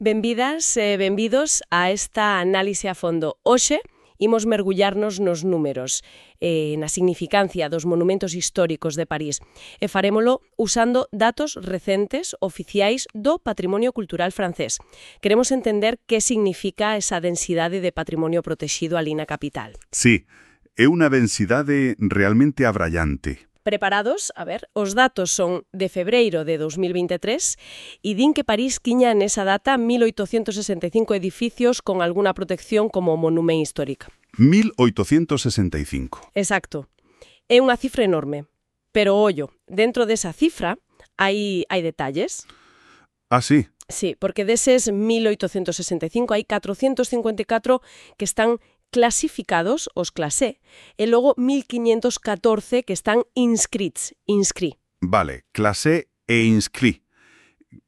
Benvidas e benvidos a esta análise a fondo. Hoxe imos mergullarnos nos números, na significancia dos monumentos históricos de París, e farémolo usando datos recentes oficiais do patrimonio cultural francés. Queremos entender que significa esa densidade de patrimonio protexido ali na capital. Sí, é unha densidade realmente abrallante. Preparados? A ver, os datos son de febreiro de 2023 e din que París tiña nesa data 1865 edificios con alguna protección como monumento histórico. 1865. Exacto. É unha cifra enorme. Pero, ollo, dentro desa cifra hai detalles. Ah, sí? Sí, porque deses 1865 hai 454 que están clasificados, os classé, e logo 1514 que están inscrits, Vale, classé e inscrit.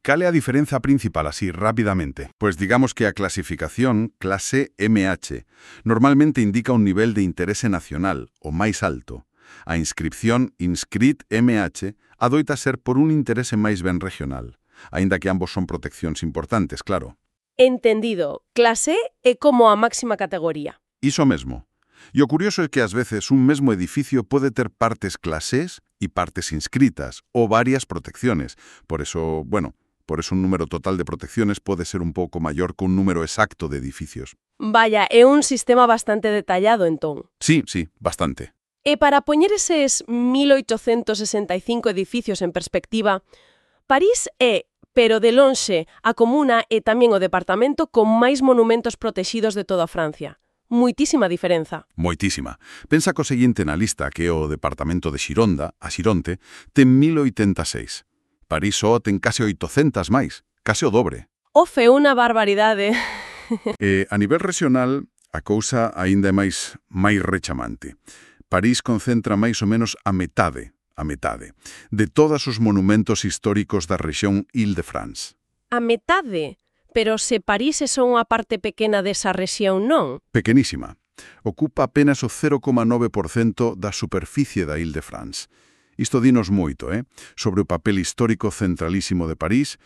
Cal é a diferenza principal así, rápidamente? Pues digamos que a clasificación, clase MH, normalmente indica un nivel de interese nacional, o máis alto. A inscripción, inscrit MH, adoita ser por un interese máis ben regional, aínda que ambos son proteccións importantes, claro. Entendido. Clase é como a máxima categoría. Iso mesmo. E o curioso é que ás veces un mesmo edificio pode ter partes clasés e partes inscritas, ou varias protecciones. Por eso un número total de protecciones pode ser un pouco maior que un número exacto de edificios. Vaya, é un sistema bastante detallado, entón. Sí, bastante. E para poñer eses 1865 edificios en perspectiva, París é, pero de lonxe, a comuna e tamén o departamento con máis monumentos protexidos de toda Francia. Moitísima diferenza. Moitísima. Pensa co seguinte na lista, que é o departamento de Xironda, a Xironte, ten 1086. París só ten case 800 máis, case o dobre. Ofe, unha barbaridade. A nivel regional, a cousa aínda é máis rechamante. París concentra máis ou menos a metade de todos os monumentos históricos da rexión Île-de-France. A metade? Pero se París é só unha parte pequena desa rexión, non? Pequenísima. Ocupa apenas o 0,9% da superficie da Île-de-France. Isto dinos moito, sobre o papel histórico centralísimo de París,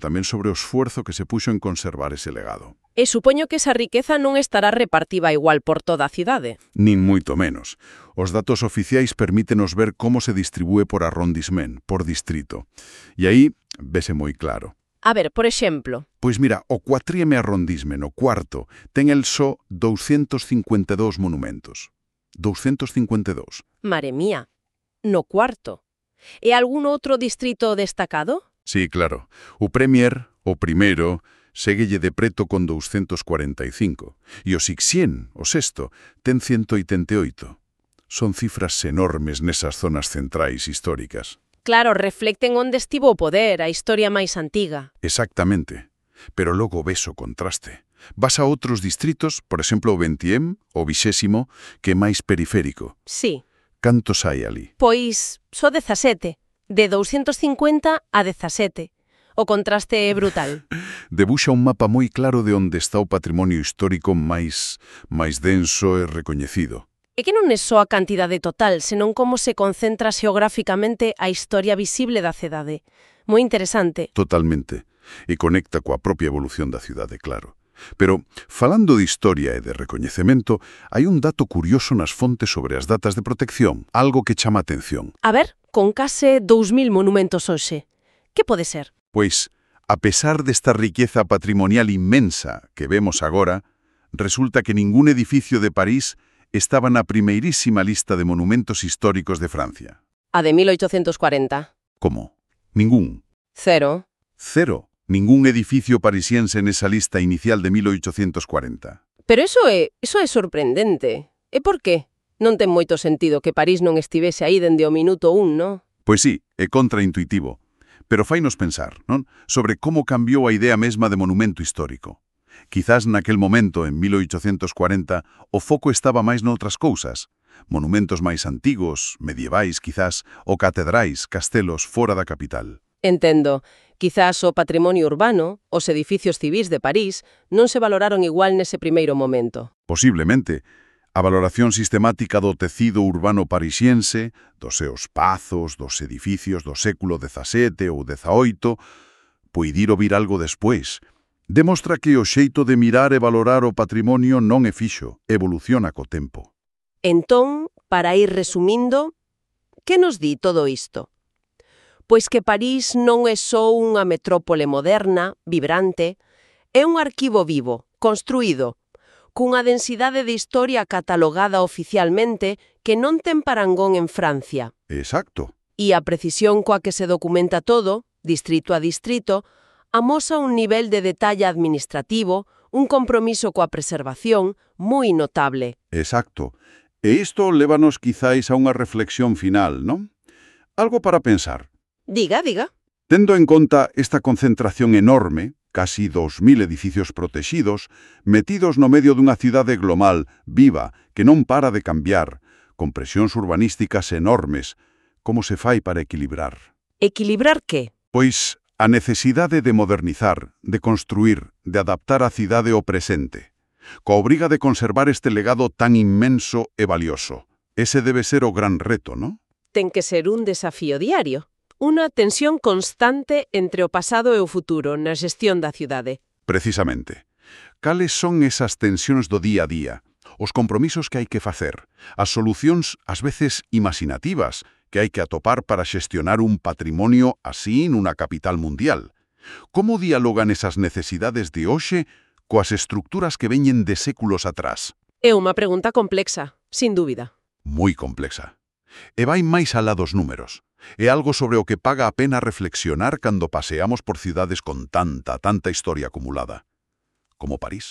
tamén sobre o esfuerzo que se puxo en conservar ese legado. E supoño que esa riqueza non estará repartida igual por toda a cidade. Nin moito menos. Os datos oficiais permítenos ver como se distribúe por arrondissement, por distrito. E aí vese moi claro. A ver, por exemplo. Pois mira, o cuatrieme arrondissement, o cuarto, ten el só 252 monumentos. 252. Mare mía, no cuarto. E algún outro distrito destacado? Sí, claro. O Premier, o primeiro, séguelle de preto con 245. E o Sixien, o sexto, ten 188. Son cifras enormes nesas zonas centrais históricas. Claro, reflecten onde estivo o poder, a historia máis antiga. Exactamente. Pero logo ves o contraste. Vas a outros distritos, por exemplo o 20º, o 20º, que é máis periférico. Sí. Cantos hai ali? Pois só 17. De 250 a 17. O contraste é brutal. Debuxa un mapa moi claro de onde está o patrimonio histórico máis denso e recoñecido. É que non é só a cantidade total, senón como se concentra xeográficamente a historia visible da cidade. Moi interesante. Totalmente. E conecta coa propia evolución da cidade, claro. Pero, falando de historia e de recoñecemento, hai un dato curioso nas fontes sobre as datas de protección, algo que chama a atención. A ver, con case 2000 monumentos hoxe. Que pode ser? Pois, a pesar desta riqueza patrimonial inmensa que vemos agora, resulta que ningún edificio de París estaba na primeirísima lista de monumentos históricos de Francia. A de 1840. Como? Ningún. Cero. Ningún edificio parisiense nesa lista inicial de 1840. Pero iso é sorprendente. E por qué? Non ten moito sentido que París non estivese aí dende o minuto 1, non? Pois sí, é contraintuitivo. Pero fainos pensar, non? Sobre como cambiou a idea mesma de monumento histórico. Quizás naquel momento, en 1840, o foco estaba máis noutras cousas. Monumentos máis antigos, medievais, quizás, ou catedrais, castelos fora da capital. Entendo. Quizás o patrimonio urbano, os edificios civís de París, non se valoraron igual nese primeiro momento. Posiblemente. A valoración sistemática do tecido urbano parisiense, dos seus pazos, dos edificios do século XVII ou XVIII, poidir vir algo despois. Demostra que o xeito de mirar e valorar o patrimonio non é fixo, evoluciona co tempo. Entón, para ir resumindo, que nos di todo isto? Pois que París non é só unha metrópole moderna, vibrante, é un arquivo vivo, construído, cunha densidade de historia catalogada oficialmente que non ten parangón en Francia. Exacto. E a precisión coa que se documenta todo, distrito a distrito, amosa un nivel de detalle administrativo, un compromiso coa preservación moi notable. Exacto. E isto lévanos quizáis a unha reflexión final, non? Algo para pensar. Diga. Tendo en conta esta concentración enorme, casi 2000 edificios protexidos, metidos no medio dunha cidade global, viva, que non para de cambiar, con presións urbanísticas enormes, como se fai para equilibrar? Equilibrar que? Pois a necesidade de modernizar, de construir, de adaptar a cidade ao presente, coa obriga de conservar este legado tan inmenso e valioso. Ese debe ser o gran reto, non? Ten que ser un desafío diario. Unha tensión constante entre o pasado e o futuro na xestión da cidade. Precisamente. Cales son esas tensións do día a día? Os compromisos que hai que facer? As solucións, ás veces imaginativas, que hai que atopar para xestionar un patrimonio así nunha capital mundial? Como dialogan esas necesidades de hoxe coas estructuras que veñen de séculos atrás? É unha pregunta complexa, sin dúbida. Moi complexa. E vai máis alá dos números. É algo sobre o que paga a pena reflexionar cando paseamos por cidades con tanta historia acumulada, como París.